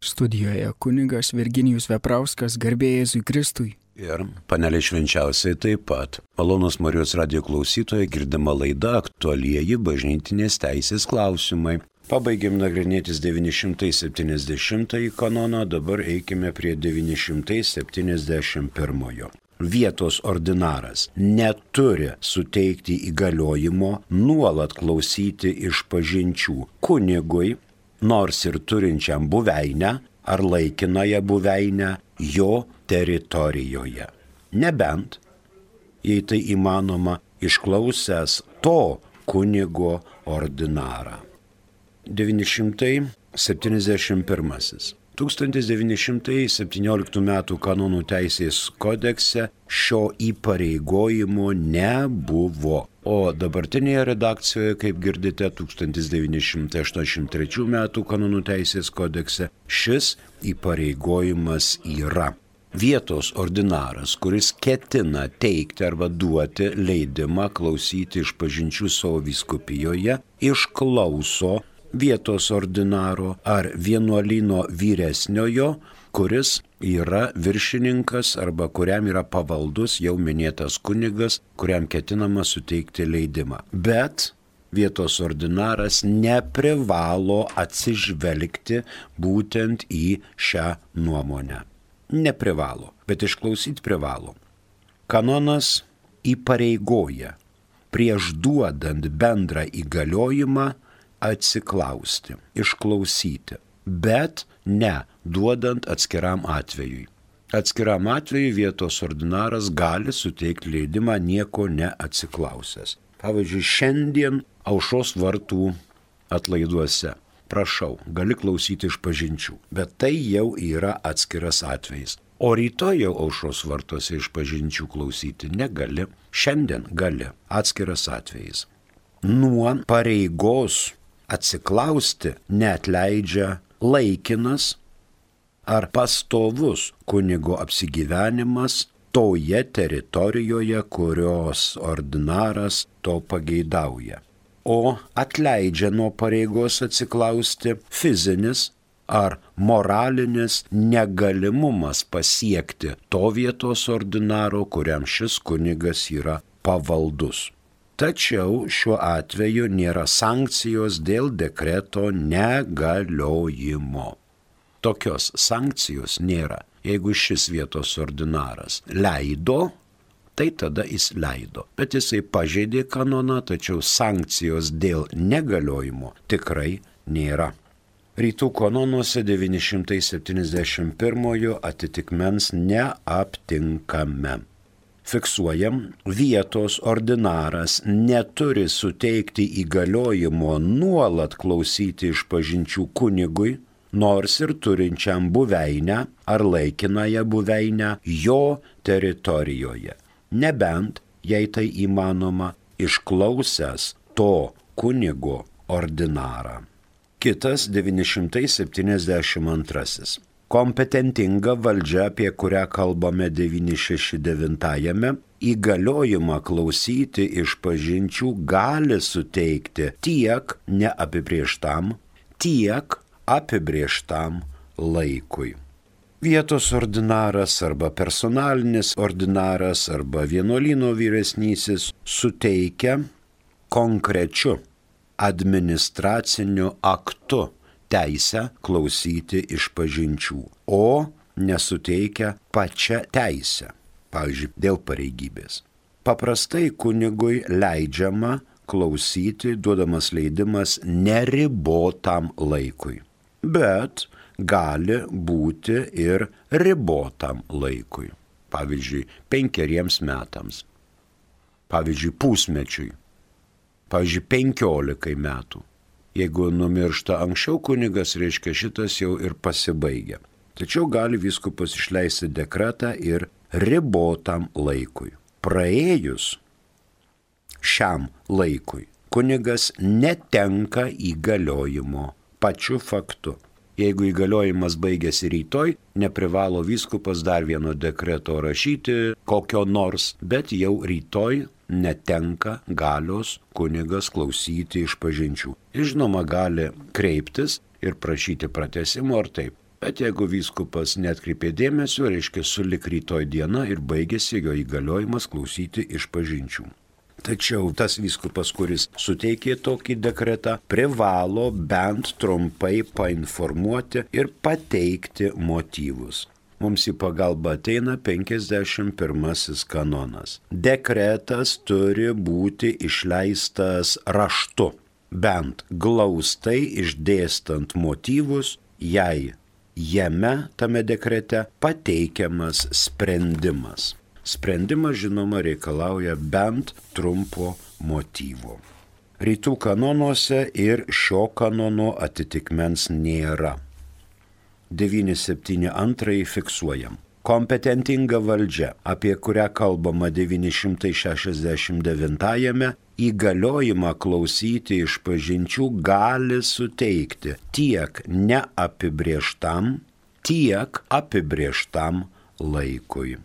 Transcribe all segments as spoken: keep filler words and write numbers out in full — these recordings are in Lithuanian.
Studijoje kunigas Virginijus Veprauskas, garbė Jėzui Kristui. Ir panelė švenčiausiai taip pat. Malonūs Marijos radijo klausytojai, girdima laida aktualieji bažnytinės teisės klausimai. Pabaigėm nagrinėtis devyni šimtai septyniasdešimtąjį kanoną, dabar eikime prie devyni šimtai septyniasdešimt pirmojo. Vietos ordinaras neturi suteikti įgaliojimo nuolat klausyti išpažinčių kunigui, nors ir turinčiam buveinę ar laikinąją buveinę jo teritorijoje. Nebent, jei tai įmanoma, išklausęs to kunigo ordinarą. devyni šimtai septyniasdešimt pirmasis. tūkstantis devyni šimtai septynioliktų metų kanonų teisės kodekse šio įpareigojimo nebuvo. O dabartinėje redakcijoje, kaip girdite, tūkstantis devyni šimtai aštuoniasdešimt trečių metų kanonų teisės kodekse šis įpareigojimas yra. Vietos ordinaras, kuris ketina teikti arba duoti leidimą klausyti išpažinčių savo vyskupijoje, išklauso vietos ordinaro ar vienuolyno vyresniojo, kuris yra viršininkas arba kuriam yra pavaldus jau minėtas kunigas, kuriam ketinama suteikti leidimą. Bet vietos ordinaras neprivalo atsižvelgti būtent į šią nuomonę. Neprivalo, bet išklausyti privalo. Kanonas įpareigoja prieš duodant bendrą įgaliojimą atsiklausti, išklausyti, bet ne duodant atskiram atvejui. Atskiram atvejui vietos ordinaras gali suteikti leidimą nieko neatsiklausęs. Pavyzdžiui, šiandien aušros vartų atlaiduose. Prašau, gali klausyti išpažinčių, bet tai jau yra atskiras atvejis. O rytoj jau aušros vartuose išpažinčių klausyti negali, šiandien gali, atskiras atvejis. Nuo pareigos atsiklausti neatleidžia laikinas ar pastovus kunigo apsigyvenimas toje teritorijoje, kurios ordinaras to pageidauja. O atleidžia nuo pareigos atsiklausti fizinis ar moralinis negalimumas pasiekti to vietos ordinaro, kuriam šis kunigas yra pavaldus. Tačiau šiuo atveju nėra sankcijos dėl dekreto negaliojimo. Tokios sankcijos nėra. Jeigu šis vietos ordinaras leido, tai tada jis leido. Bet jisai pažeidė kanoną, tačiau sankcijos dėl negaliojimo tikrai nėra. Rytų kanonuose devyni šimtai septyniasdešimt pirmojo atitikmens neaptinkame. Fiksuojam, vietos ordinaras neturi suteikti įgaliojimo nuolat klausyti išpažinčių kunigui, nors ir turinčiam buveinę ar laikinąją buveinę jo teritorijoje. Nebent, jei tai įmanoma, išklausęs to kunigo ordinarą. Kitas devyni šimtai septyniasdešimt antrasis. Kompetentinga valdžia, apie kurią kalbame devyni šimtai šešiasdešimt devintajame, įgaliojimą klausyti išpažinčių gali suteikti tiek neapibrėžtam, tiek apibrėžtam laikui. Vietos ordinaras arba personalinis ordinaras arba vienuolyno vyresnysis suteikia konkrečiu administraciniu aktu teisę klausyti išpažinčių, o nesuteikia pačią teisę, pavyzdžiui, dėl pareigybės. Paprastai kunigui leidžiama klausyti, duodamas leidimas neribotam laikui, bet gali būti ir ribotam laikui, pavyzdžiui, penkeriems metams, pavyzdžiui, pusmečiui, pavyzdžiui, penkiolikai metų. Jeigu numiršta anksčiau kunigas, reiškia šitas jau ir pasibaigia. Tačiau gali vyskupas išleisti dekretą ir ribotam laikui. Praėjus šiam laikui kunigas netenka įgaliojimo pačiu faktu. Jeigu įgaliojimas baigėsi rytoj, neprivalo vyskupas dar vieno dekreto rašyti kokio nors, bet jau rytoj netenka galios kunigas klausyti išpažinčių. Ir žinoma, gali kreiptis ir prašyti pratęsimo ar taip. Bet jeigu vyskupas netkreipė dėmesio, reiškia sulik rytoj diena ir baigėsi jo įgaliojimas klausyti išpažinčių. Tačiau tas vyskupas, kuris suteikė tokį dekretą, privalo bent trumpai painformuoti ir pateikti motyvus. Mums į pagalbą ateina penkiasdešimt pirmasis kanonas. Dekretas turi būti išleistas raštu, bent glaustai išdėstant motyvus, jei jame tame dekrete pateikiamas sprendimas. Sprendimas, žinoma, reikalauja bent trumpo motyvo. Rytų kanonuose ir šio kanono atitikmens nėra. devyni septyni antrąjį fiksuojam. Kompetentinga valdžia, apie kurią kalbama devyni šimtai šešiasdešimt devintajame, įgaliojimą klausyti išpažinčių gali suteikti tiek neapibrėžtam, tiek apibrėžtam laikui.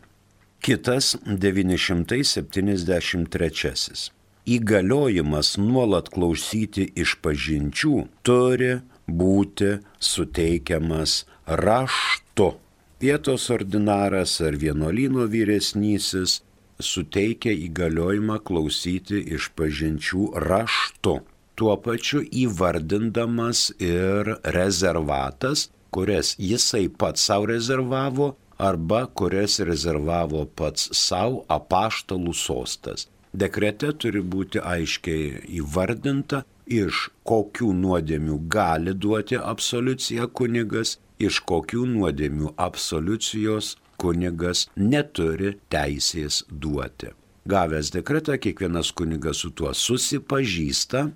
Kitas devyni šimtai septyniasdešimt trečiasis. Įgaliojimas nuolat klausyti išpažinčių turi būti suteikiamas raštu. Vietos ordinaras ar vienuolyno vyresnysis suteikia įgaliojimą klausyti išpažinčių raštu. Tuo pačiu įvardindamas ir rezervatas, kurias jisai pats savo rezervavo arba kurias rezervavo pats savo apaštalų sostas. Dekrete turi būti aiškiai įvardinta, iš kokių nuodėmių gali duoti absoliuciją kunigas, iš kokių nuodėmių absoliucijos kunigas neturi teisės duoti. Gavęs dekretą, kiekvienas kunigas su tuo susipažįsta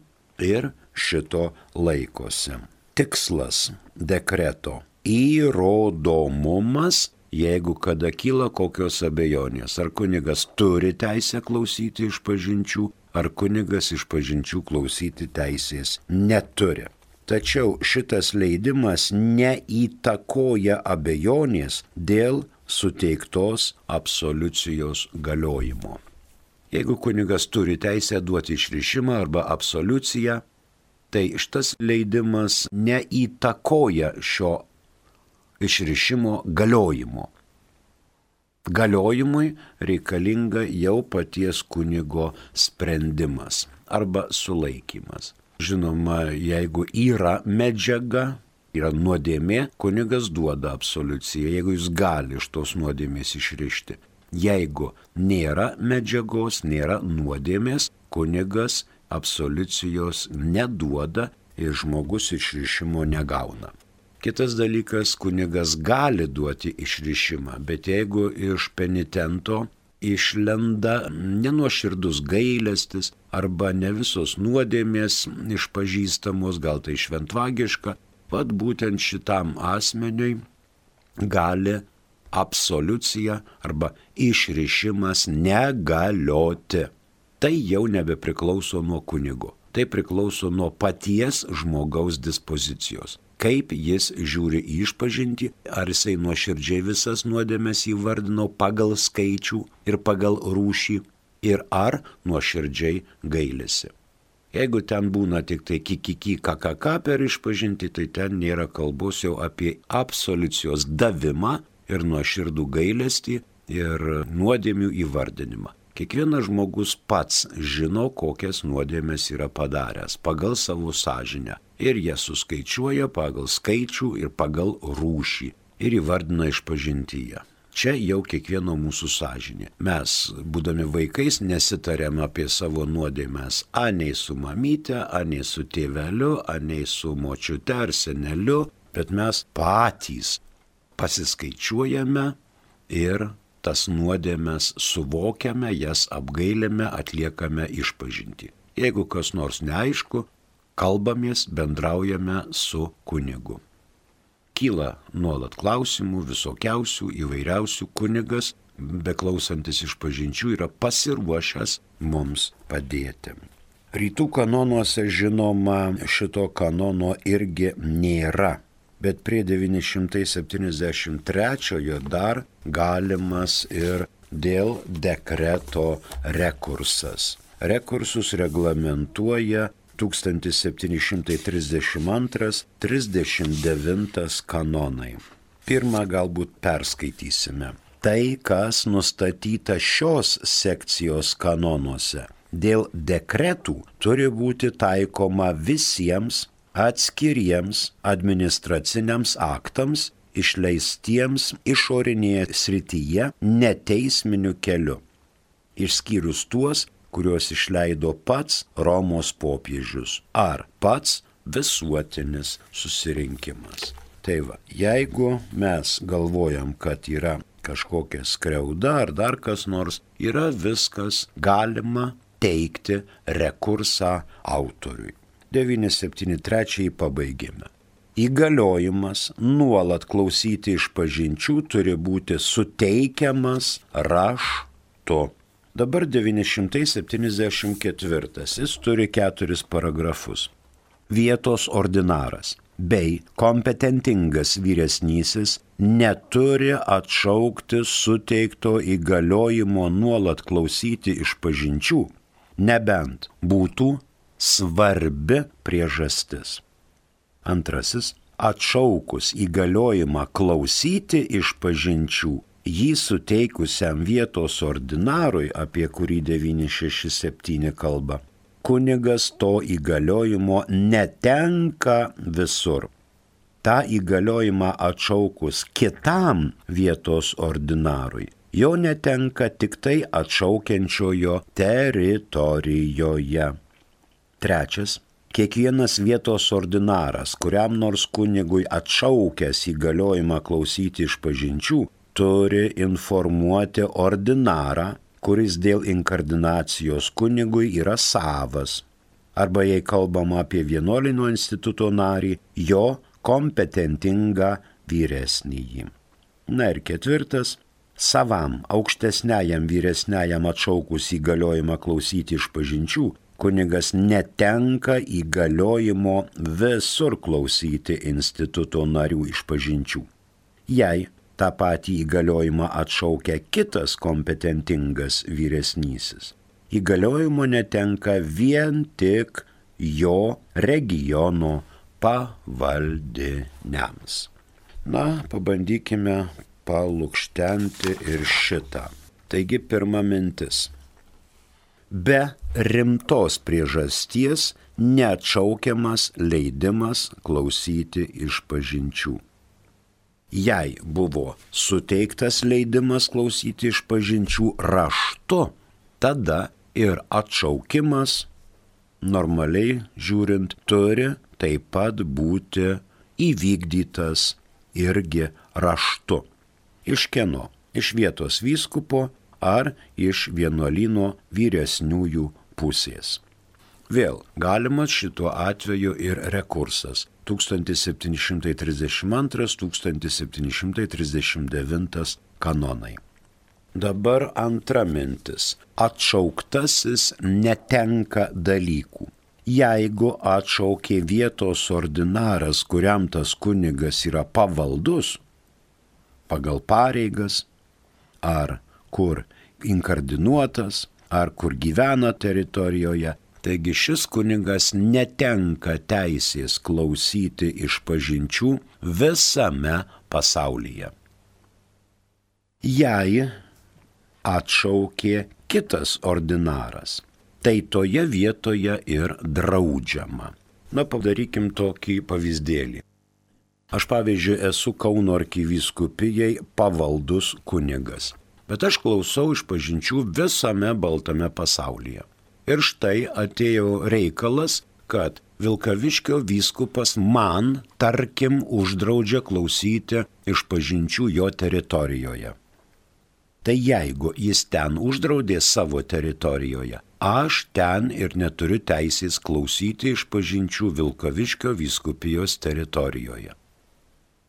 ir šito laikosi. Tikslas dekreto – įrodomumas, jeigu kada kyla kokios abejonės, ar kunigas turi teisę klausyti išpažinčių, ar kunigas išpažinčių klausyti teisės neturi. Tačiau šitas leidimas neįtakoja abejonės dėl suteiktos absoliucijos galiojimo. Jeigu kunigas turi teisę duoti išrišimą arba absoliuciją, tai šitas leidimas neįtakoja šio išrišimo galiojimo. Galiojimui reikalinga jau paties kunigo sprendimas arba sulaikymas. Žinoma, jeigu yra medžiaga, yra nuodėmė, kunigas duoda absoliuciją, jeigu jis gali iš tos nuodėmės išrišti. Jeigu nėra medžiagos, nėra nuodėmės, kunigas absoliucijos neduoda ir žmogus išrišimo negauna. Kitas dalykas, kunigas gali duoti išrišimą, bet jeigu iš penitento išlenda nenuoširdus gailestis arba ne visos nuodėmės išpažįstamos, gal tai šventvagiška, pat būtent šitam asmeniui gali absoliucija arba išrišimas negalioti. Tai jau nebepriklauso nuo kunigo, tai priklauso nuo paties žmogaus dispozicijos. Kaip jis žiūri į išpažintį, ar jisai nuoširdžiai visas nuodėmes įvardino pagal skaičių ir pagal rūšį, ir ar nuoširdžiai gailisi. Jeigu ten būna tik tai kikiki kakaka per išpažintį, tai ten nėra kalbos jau apie absoliucijos davimą ir nuoširdų gailestį ir nuodėmių įvardinimą. Kiekvienas žmogus pats žino, kokias nuodėmes yra padaręs pagal savo sąžinę. Ir jie suskaičiuoja pagal skaičių ir pagal rūšį ir įvardina išpažintyje. Čia jau kiekvieno mūsų sąžinė. Mes, būdami vaikais, nesitarėm apie savo nuodėmes anei su mamyte, anei su tėveliu, anei su močiute ar seneliu, bet mes patys pasiskaičiuojame ir tas nuodėmes suvokiame, jas apgailime, atliekame išpažintį. Jeigu kas nors neaišku, kalbamės, bendraujame su kunigu. Kyla nuolat klausimų, visokiausių, įvairiausių, kunigas, beklausantis išpažinčių, yra pasiruošęs mums padėti. Rytų kanonuose, žinoma, šito kanono irgi nėra. Bet prie devyni šimtai septyniasdešimt trečiojo dar galimas ir dėl dekreto rekursas. Rekursus reglamentuoja tūkstantis septyni šimtai trisdešimt antras trisdešimt devintas kanonai. Pirmą galbūt perskaitysime. Tai, kas nustatyta šios sekcijos kanonuose, dėl dekretų turi būti taikoma visiems atskiriems administraciniams aktams, išleistiems išorinėje srityje neteisminiu keliu, išskyrus tuos, kuriuos išleido pats Romos popiežius ar pats visuotinis susirinkimas. Tai va, jeigu mes galvojam, kad yra kažkokia skriauda ar dar kas nors, yra viskas galima teikti rekursą autoriui. devyni septyni trečiąjį pabaigėme. Įgaliojimas nuolat klausyti išpažinčių turi būti suteikiamas raštu. Dabar devyni šimtai septyniasdešimt ketvirtas. Jis turi keturis paragrafus. Vietos ordinaras bei kompetentingas vyresnysis neturi atšaukti suteikto įgaliojimo nuolat klausyti išpažinčių, nebent būtų svarbi priežastis. Antrasis, atšaukus įgaliojimą klausyti išpažinčių, jį suteikusiam vietos ordinarui, apie kurį devyni šeši septyni kalba, kunigas to įgaliojimo netenka visur. Ta įgaliojimą atšaukus kitam vietos ordinarui, jo netenka tik tai atšaukiančiojo teritorijoje. Trečias, kiekvienas vietos ordinaras, kuriam nors kunigui atšaukęs įgaliojimą klausyti išpažinčių, turi informuoti ordinarą, kuris dėl inkardinacijos kunigui yra savas, arba jei kalbama apie vienuolyno instituto narį, jo kompetentingą vyresnįjį. Na ir ketvirtas, savam aukštesniajam vyresniajam atšaukus įgaliojimą klausyti išpažinčių, kunigas netenka įgaliojimo visur klausyti instituto narių išpažinčių. Jei tą patį įgaliojimą atšaukia kitas kompetentingas vyresnysis, įgaliojimo netenka vien tik jo regiono pavaldiniams. Na, pabandykime palukštenti ir šitą. Taigi pirma mintis. Be rimtos priežasties neatšaukiamas leidimas klausyti išpažinčių. Jei buvo suteiktas leidimas klausyti išpažinčių raštu, tada ir atšaukimas, normaliai žiūrint, turi taip pat būti įvykdytas irgi raštu. Iš kieno? Iš vietos vyskupo ar iš vienuolyno vyresniųjų pusės. Vėl galimas šituo atveju ir rekursas. tūkstantis septyni šimtai trisdešimt antras - tūkstantis septyni šimtai trisdešimt devintas kanonai. Dabar antra mintis. Atšauktasis netenka dalykų. Jeigu atšaukė vietos ordinaras, kuriam tas kunigas yra pavaldus, pagal pareigas, ar kur inkardinuotas, ar kur gyvena teritorijoje, taigi šis kunigas netenka teisės klausyti išpažinčių visame pasaulyje. Jei atšaukė kitas ordinaras, tai toje vietoje ir draudžiama. Na, padarykim tokį pavyzdėlį. Aš, pavyzdžiui, esu Kauno arkivyskupijai pavaldus kunigas, bet aš klausau išpažinčių visame baltame pasaulyje. Ir štai atėjo reikalas, kad Vilkaviškio vyskupas man, tarkim, uždraudžia klausyti išpažinčių jo teritorijoje. Tai jeigu jis ten uždraudė savo teritorijoje, aš ten ir neturiu teisės klausyti išpažinčių Vilkaviškio vyskupijos teritorijoje.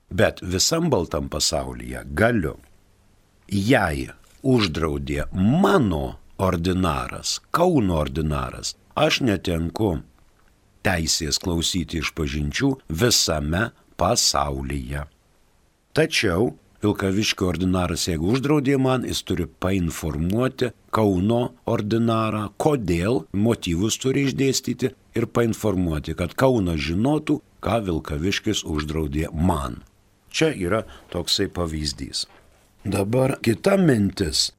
Bet visam baltam pasaulyje galiu. Jei uždraudė mano ordinaras, Kauno ordinaras, aš netenku teisės klausyti išpažinčių visame pasaulyje. Tačiau Vilkaviškio ordinaras, jeigu uždraudė man, jis turi painformuoti Kauno ordinarą, kodėl, motyvus turi išdėstyti ir painformuoti, kad Kaunas žinotų, ką Vilkaviškis uždraudė man. Čia yra toksai pavyzdys. Dabar kita mintis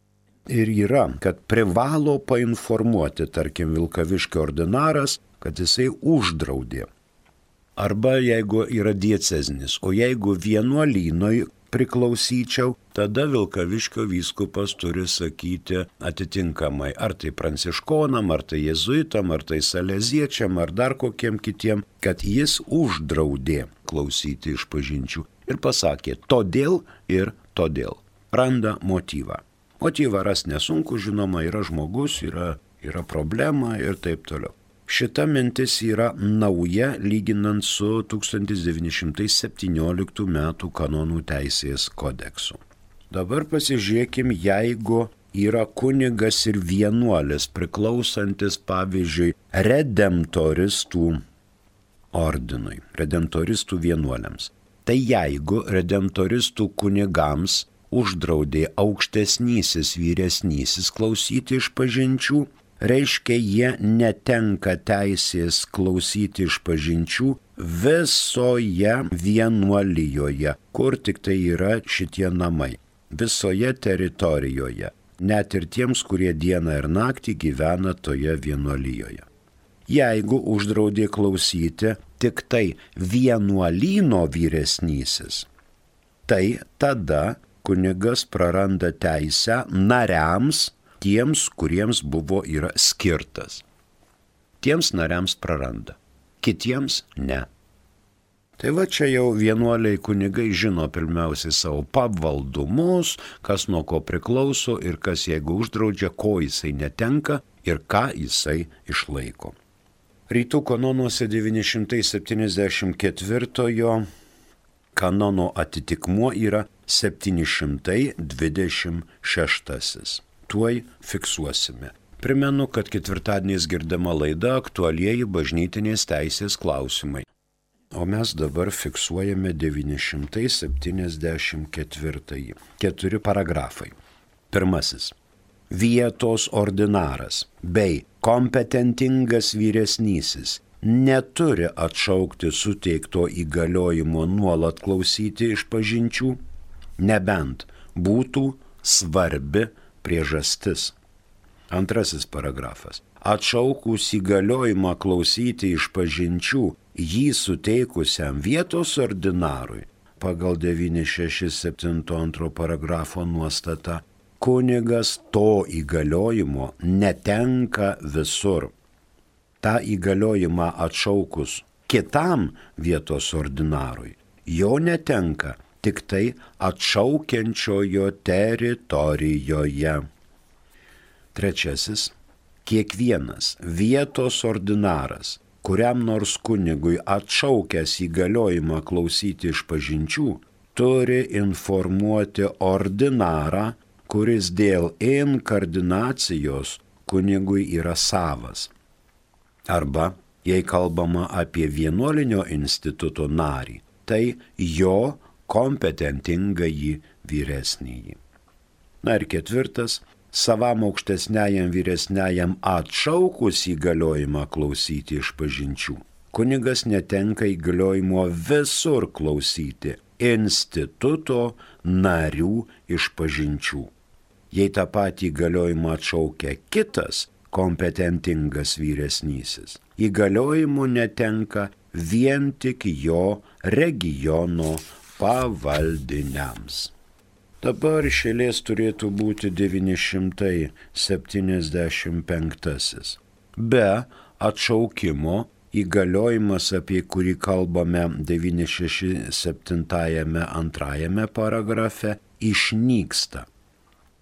ir yra, kad privalo painformuoti, tarkim, Vilkaviškio ordinaras, kad jisai uždraudė. Arba jeigu yra diecezinis, o jeigu vienuolynoj priklausyčiau, tada Vilkaviškio vyskupas turi sakyti atitinkamai, ar tai pranciškonam, ar tai jėzuitam, ar tai saleziečiam, ar dar kokiem kitiem, kad jis uždraudė klausyti išpažinčių ir pasakė todėl ir todėl. Randa motyvą. Motyvą ras nesunku, žinoma, yra žmogus, yra, yra problema ir taip toliau. Šita mintis yra nauja lyginant su tūkstantis devyni šimtai septynioliktų metų kanonų teisės kodeksu. Dabar pasižiūrėkim, jeigu yra kunigas ir vienuolis priklausantis, pavyzdžiui, redemptoristų ordinui, redemptoristų vienuoliams. Tai jeigu redemptoristų kunigams uždraudė aukštesnysis vyresnysis klausyti išpažinčių, reiškia, jie netenka teisės klausyti išpažinčių visoje vienuolijoje, kur tik tai yra šitie namai, visoje teritorijoje, net ir tiems, kurie dieną ir naktį gyvena toje vienuolijoje. Jeigu uždraudė klausyti tik tai vienuolyno vyresnysis, tai tada kunigas praranda teisę nariams, tiems, kuriems buvo yra skirtas. Tiems nariams praranda, kitiems ne. Tai va čia jau vienuoliai kunigai žino pirmiausiai savo pavaldumus, kas nuo ko priklauso ir kas jeigu uždraudžia, ko jisai netenka ir ką jisai išlaiko. Rytų kanonuose devyni šimtai septyniasdešimt ketvirtojo kanono atitikmuo yra septyni šimtai dvidešimt šeštasis. Tuoj fiksuosime. Primenu, kad ketvirtadieniais girdama laida aktualieji bažnytinės teisės klausimai. O mes dabar fiksuojame devyni šimtai septyniasdešimt ketvirtąjį. Keturi paragrafai. Pirmasis. Vietos ordinaras bei kompetentingas vyresnysis neturi atšaukti suteikto įgaliojimo nuolat klausyti išpažinčių, nebent būtų svarbi priežastis. Antrasis paragrafas. Atšaukus įgaliojimą klausyti išpažinčių jį suteikusiam vietos ordinarui pagal devyni šeši septyni antro paragrafo nuostata, kunigas to įgaliojimo netenka visur. Ta įgaliojimą atšaukus kitam vietos ordinarui, jo netenka tik tai atšaukiančiojo teritorijoje. Trečiasis. Kiekvienas vietos ordinaras, kuriam nors kunigui atšaukęs įgaliojimą klausyti išpažinčių, turi informuoti ordinarą, kuris dėl inkardinacijos kunigui yra savas. Arba, jei kalbama apie vienuolinio instituto narį, tai jo kompetentingąjį vyresnįjį. Na ir ketvirtas, savam aukštesniajam vyresniajam atšaukus įgaliojimą klausyti išpažinčių, kunigas netenka įgaliojimo visur klausyti instituto narių išpažinčių. Jei tą patį įgaliojimą atšaukia kitas kompetentingas vyresnysis, įgaliojimų netenka vien tik jo regiono pavaldiniams. Dabar iš eilės turėtų būti devyni šimtai septyniasdešimt penktasis. Be atšaukimo įgaliojimas, apie kurį kalbame devyni šeši septyni antrajame paragrafe, išnyksta,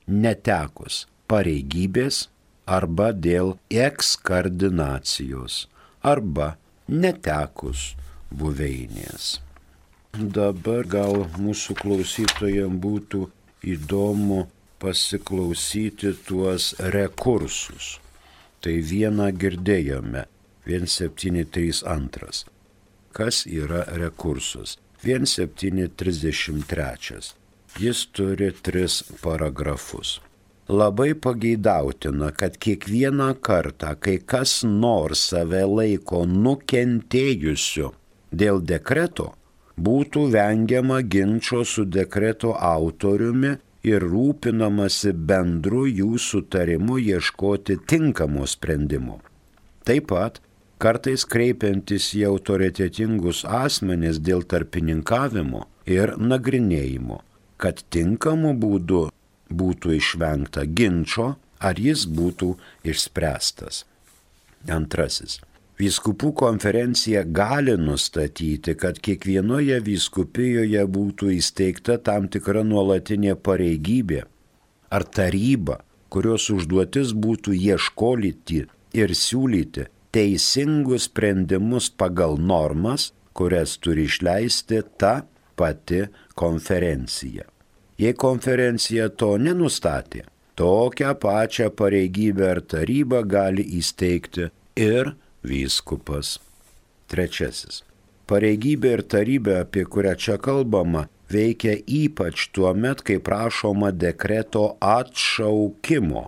netekus pareigybės arba dėl ekskardinacijos arba netekus buveinės. Dabar gal mūsų klausytojams būtų įdomu pasiklausyti tuos rekursus. Tai vieną girdėjome, vienas septyni trys antras. Kas yra rekursus? vienas septyni trisdešimt trečias. Jis turi tris paragrafus. Labai pageidautina, kad kiekvieną kartą, kai kas nors save laiko nukentėjusiu dėl dekreto, būtų vengiama ginčo su dekreto autoriumi ir rūpinamasi bendru jų sutarimu ieškoti tinkamo sprendimo. Taip pat, kartais kreipiantis į autoritetingus asmenis dėl tarpininkavimo ir nagrinėjimo, kad tinkamu būdu būtų išvengta ginčo, ar jis būtų išspręstas. Antrasis. Vyskupų konferencija gali nustatyti, kad kiekvienoje vyskupijoje būtų įsteigta tam tikra nuolatinė pareigybė ar taryba, kurios užduotis būtų ieškoti ir siūlyti teisingus sprendimus pagal normas, kurias turi išleisti ta pati konferencija. Jei konferencija to nenustatė, tokią pačią pareigybę ar tarybą gali įsteigti ir vyskupas. Trečiasis. Pareigybė ir tarybė, apie kurią čia kalbama, veikia ypač tuo met, kai prašoma dekreto atšaukimo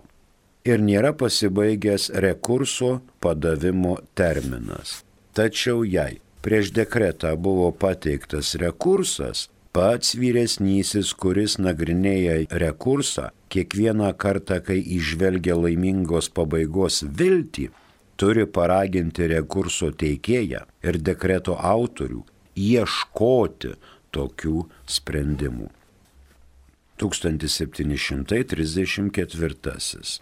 ir nėra pasibaigęs rekurso padavimo terminas. Tačiau jei prieš dekretą buvo pateiktas rekursas, pats vyresnysis, kuris nagrinėja rekursą, kiekvieną kartą, kai įžvelgia laimingos pabaigos viltį, turi paraginti rekurso teikėją ir dekreto autorių ieškoti tokių sprendimų. tūkstantis septyni šimtai trisdešimt ketvirtasis.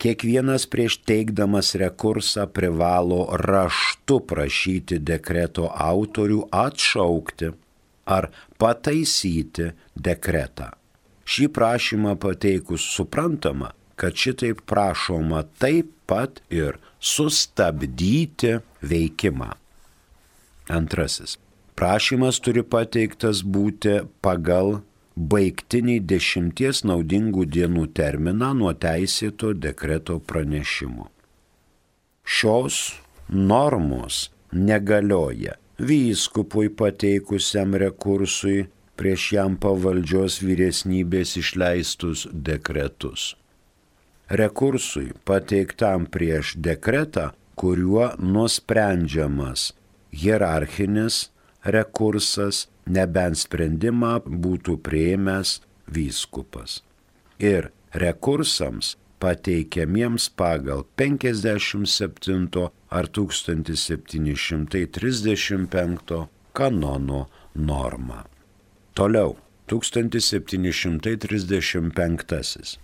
Kiekvienas prieš teikdamas rekursą privalo raštu prašyti dekreto autorių atšaukti ar pataisyti dekretą. Šį prašymą pateikus suprantama, kad šitaip prašoma taip pat ir sustabdyti veikimą. Antrasis. Prašymas turi pateiktas būti pagal baigtinį dešimties naudingų dienų terminą nuo teisėto dekreto pranešimo. Šios normos negalioja vyskupui pateikusiam rekursui prieš jam pavaldžios vyresnybės išleistus dekretus. Rekursui pateiktam prieš dekretą, kuriuo nusprendžiamas hierarchinis rekursas, nebent sprendimą būtų priėmęs vyskupas. Ir rekursams pateikiamiems pagal penkiasdešimt septinto ar tūkstantis septyni šimtai trisdešimt penkto kanono normą. Toliau, tūkstantis septyni šimtai trisdešimt penktasis.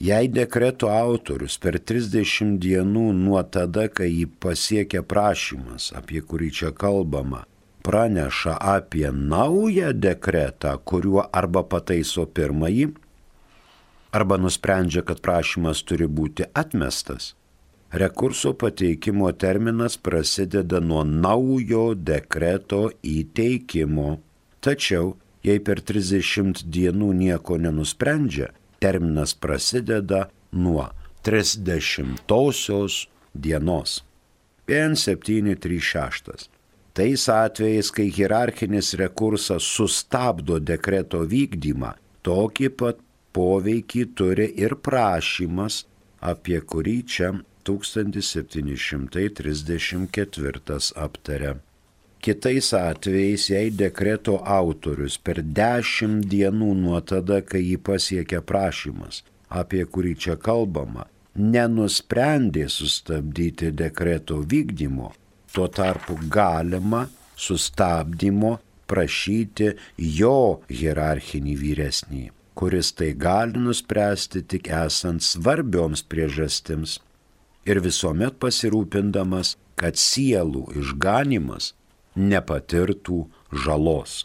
Jei dekreto autorius per trisdešimt dienų nuo tada, kai jį pasiekia prašymas, apie kurį čia kalbama, praneša apie naują dekretą, kuriuo arba pataiso pirmąjį, arba nusprendžia, kad prašymas turi būti atmestas, rekurso pateikimo terminas prasideda nuo naujo dekreto įteikimo. Tačiau, jei per trisdešimt dienų nieko nenusprendžia, terminas prasideda nuo trisdešimtosios dienos. vienas septyni trys šeši. Tais atvejais, kai hierarchinis rekursas sustabdo dekreto vykdymą, tokį pat poveikį turi ir prašymas, apie kurį čia tūkstantis septyni šimtai trisdešimt ketvirtas aptaria. Kitais atvejais, jei dekreto autorius per dešimt dienų nuo tada, kai jį pasiekia prašymas, apie kurį čia kalbama, nenusprendė sustabdyti dekreto vykdymo, tuo tarpu galima sustabdymo prašyti jo hierarchinį vyresnį, kuris tai gali nuspręsti tik esant svarbioms priežastims ir visuomet pasirūpindamas, kad sielų išganimas nepatirtų žalos.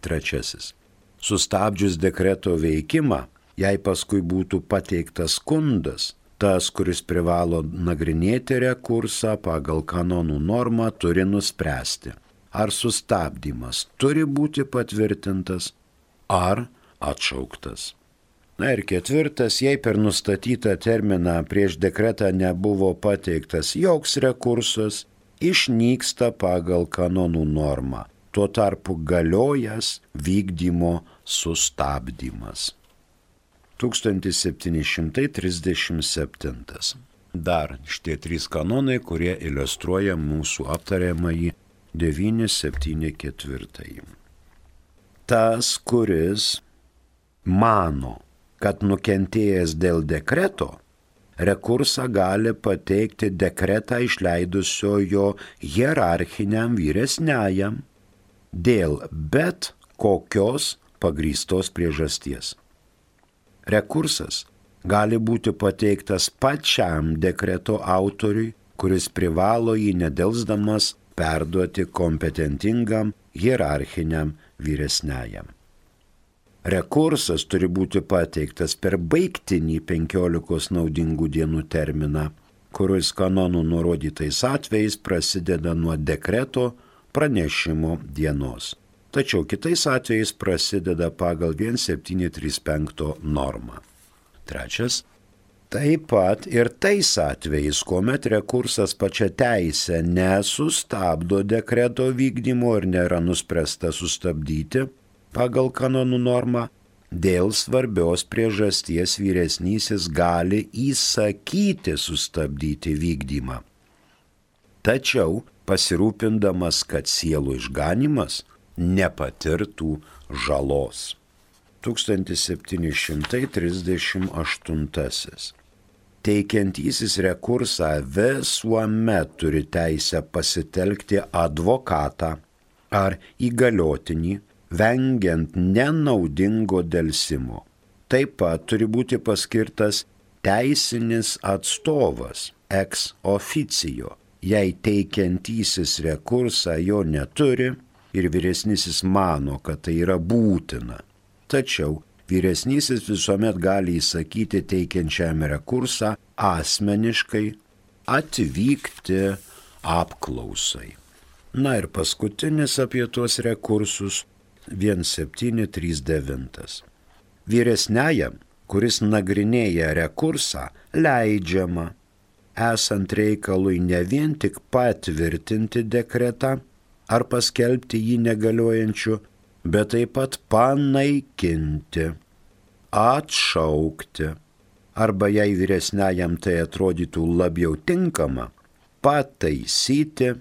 Trečiasis. Sustabdžius dekreto veikimą, jei paskui būtų pateiktas skundas, tas, kuris privalo nagrinėti rekursą pagal kanonų normą, turi nuspręsti, ar sustabdymas turi būti patvirtintas, ar atšauktas. Na ir ketvirtas, jei per nustatytą terminą prieš dekretą nebuvo pateiktas joks rekursas, išnyksta pagal kanonų normą, tuo tarpu galiojas vykdymo sustabdymas. tūkstantis septyni šimtai trisdešimt septintas. Dar šitie trys kanonai, kurie iliustruoja mūsų aptariamąjį devyni septyni keturi. Tas, kuris mano, kad nukentėjęs dėl dekreto, rekursą gali pateikti dekretą išleidusiojo hierarchiniam vyresniajam dėl bet kokios pagrįstos priežasties. Rekursas gali būti pateiktas pačiam dekreto autoriui, kuris privalo jį nedelsdamas perduoti kompetentingam hierarchiniam vyresniajam. Rekursas turi būti pateiktas per baigtinį penkiolikos naudingų dienų terminą, kuris kanonų nurodytais atvejais prasideda nuo dekreto pranešimo dienos. Tačiau kitais atvejais prasideda pagal septyni trys penki normą. Trečias. Taip pat ir tais atvejais, kuomet rekursas pačia teisė nesustabdo dekreto vykdymo ir nėra nuspręsta sustabdyti pagal kanonų normą, dėl svarbios priežasties vyresnysis gali įsakyti sustabdyti vykdymą. Tačiau pasirūpindamas, kad sielų išganimas nepatirtų žalos. tūkstantis septyni šimtai trisdešimt aštuntasis. Teikiantysis rekursą visuomet turi teisę pasitelkti advokatą ar įgaliotinį, vengiant nenaudingo delsimo. Taip pat turi būti paskirtas teisinis atstovas ex officio, jei teikiantysis rekursą jo neturi ir vyresnysis mano, kad tai yra būtina. Tačiau vyresnysis visuomet gali įsakyti teikiančiam rekursą asmeniškai atvykti apklausai. Na ir paskutinis apie tuos rekursus septyni trys devyni. Vyresniajam, kuris nagrinėja rekursą, leidžiama, esant reikalui ne vien tik patvirtinti dekretą ar paskelbti jį negaliojančiu, bet taip pat panaikinti, atšaukti, arba jei vyresniajam tai atrodytų labiau tinkama, pataisyti,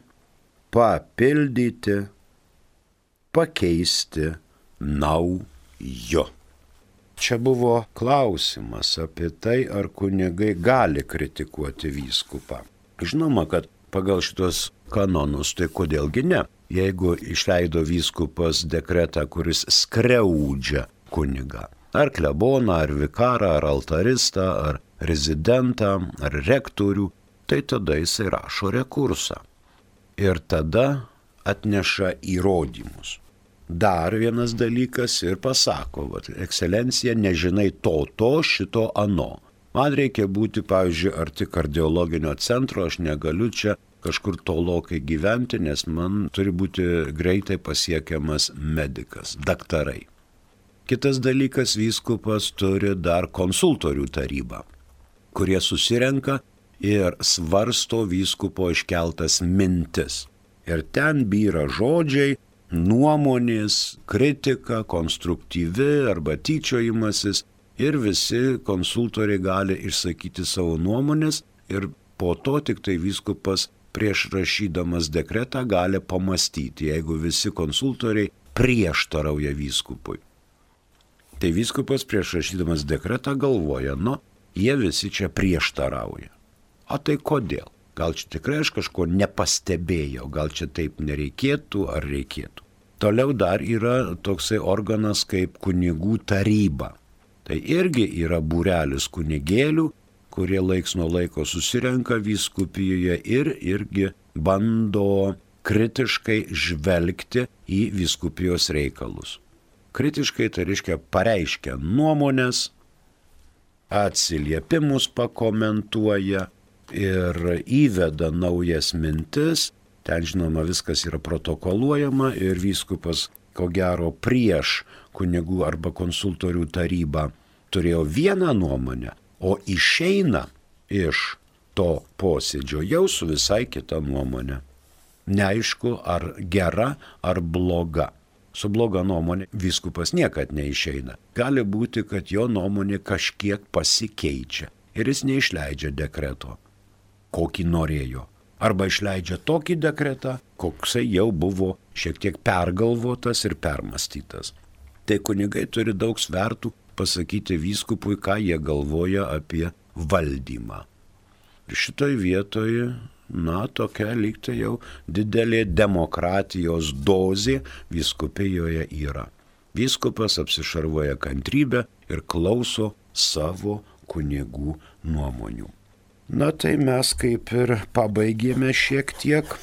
papildyti, pakeisti nauju. Čia buvo klausimas apie tai, ar kunigai gali kritikuoti vyskupą. Žinoma, kad pagal šitos kanonus, tai kodėlgi ne? Jeigu išleido vyskupas dekretą, kuris skriaudžia kunigą, ar kleboną, ar vikarą, ar altaristą, ar rezidentą, ar rektorių, tai tada jisai rašo rekursą. Ir tada atneša įrodymus. Dar vienas dalykas ir pasako, vat, ekscelencija, nežinai to, to, šito, ano. Man reikia būti, pavyzdžiui, arti kardiologinio centro, aš negaliu čia kažkur tolokai gyventi, nes man turi būti greitai pasiekiamas medikas, daktarai. Kitas dalykas, vyskupas turi dar konsultorių tarybą, kurie susirenka ir svarsto vyskupo iškeltas mintis. Ir ten byra žodžiai, nuomonės, kritika, konstruktyvi arba tyčiojimasis ir visi konsultoriai gali išsakyti savo nuomonės ir po to tik tai vyskupas prieš rašydamas dekretą gali pamastyti, jeigu visi konsultoriai prieštarauja vyskupui. Tai vyskupas prieš rašydamas dekretą galvoja, nu, jie visi čia prieštarauja. O tai kodėl? Gal čia tikrai aš kažko nepastebėjau, gal čia taip nereikėtų ar reikėtų. Toliau dar yra toksai organas kaip kunigų taryba. Tai irgi yra būrelis kunigėlių, kurie laiks nuo laiko susirenka vyskupijoje ir irgi bando kritiškai žvelgti į vyskupijos reikalus. Kritiškai tai reiškia pareiškia nuomonės, atsiliepimus pakomentuoja ir įveda naujas mintis. Ten, žinoma, viskas yra protokoluojama ir vyskupas, ko gero, prieš kunigų arba konsultorių tarybą turėjo vieną nuomonę, o išeina iš to posėdžio jau su visai kita nuomonė. Neaišku, ar gera, ar bloga. Su bloga nuomonė vyskupas niekad neišeina. Gali būti, kad jo nuomonė kažkiek pasikeičia ir jis neišleidžia dekreto, kokį norėjo. Arba išleidžia tokį dekretą, koksai jau buvo šiek tiek pergalvotas ir permastytas. Tai kunigai turi daug svertų pasakyti vyskupui, ką jie galvoja apie valdymą. Ir šitoj vietoje, na, tokia lygtai jau didelė demokratijos dozė vyskupijoje yra. Vyskupas apsišarvoja kantrybę ir klauso savo kunigų nuomonių. Na tai mes kaip ir pabaigėme šiek tiek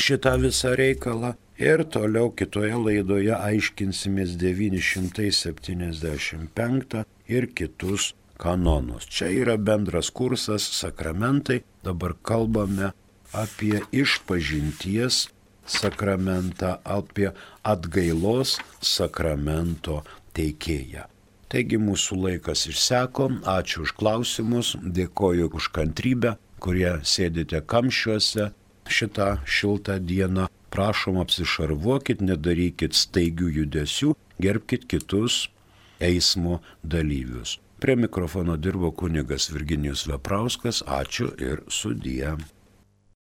šitą visą reikalą ir toliau kitoje laidoje aiškinsimės devyni šimtai septyniasdešimt penktą ir kitus kanonus. Čia yra bendras kursas sakramentai, dabar kalbame apie išpažinties sakramentą, apie atgailos sakramento teikėją. Taigi mūsų laikas išseko, ačiū už klausimus, dėkoju už kantrybę, kurie sėdite kamščiuose šitą šiltą dieną. Prašom apsišarvuokit, nedarykit staigių judesių, gerbkit kitus eismo dalyvius. Prie mikrofono dirbo kunigas Virginijus Veprauskas, ačiū ir sudie.